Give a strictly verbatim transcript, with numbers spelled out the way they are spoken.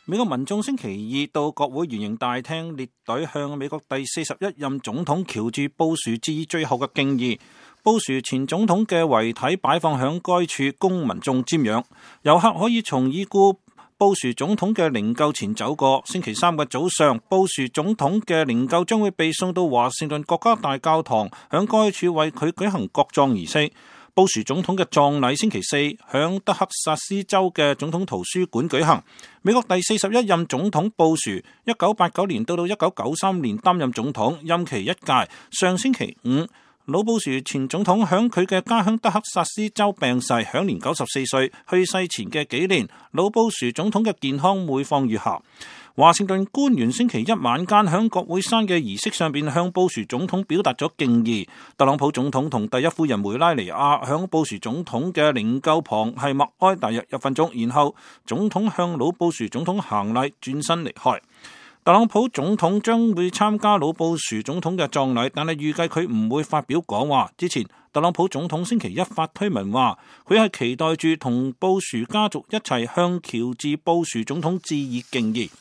美國民眾星期二到國會圓形大廳列隊向美國第四十一任總統喬治布殊致以最後嘅敬意。布殊前總統嘅遺體擺放響該處供民眾瞻仰，遊客可以從已故布殊總統嘅靈柩前走過。星期三嘅早上，布殊總統嘅靈柩將會被送到華盛頓國家大教堂，響該處為佢舉行國葬儀式。布殊總統嘅葬禮星期四響德克薩斯州嘅總統圖書館舉行。美國第四十一任總統布殊，一九八九年到到一九九三年擔任總統，任期一屆。上星期五，老布殊前總統響佢嘅家鄉德克薩斯州病逝，享年九十四歲。去世前嘅幾年，老布殊總統嘅健康每況愈下。華盛頓官員星期一晚間響國會山嘅儀式上邊向布殊總統表達咗敬意。特朗普總統同第一夫人梅拉尼亞響布殊總統嘅靈柩旁係默哀大約一分鐘，然後總統向老布殊總統行禮，轉身離開。特朗普總統將會參加老布殊總統嘅葬禮，但係預計佢唔會發表講話。之前特朗普總統星期一發推文話，佢係期待住同布殊家族一齊向喬治布殊總統致以敬意。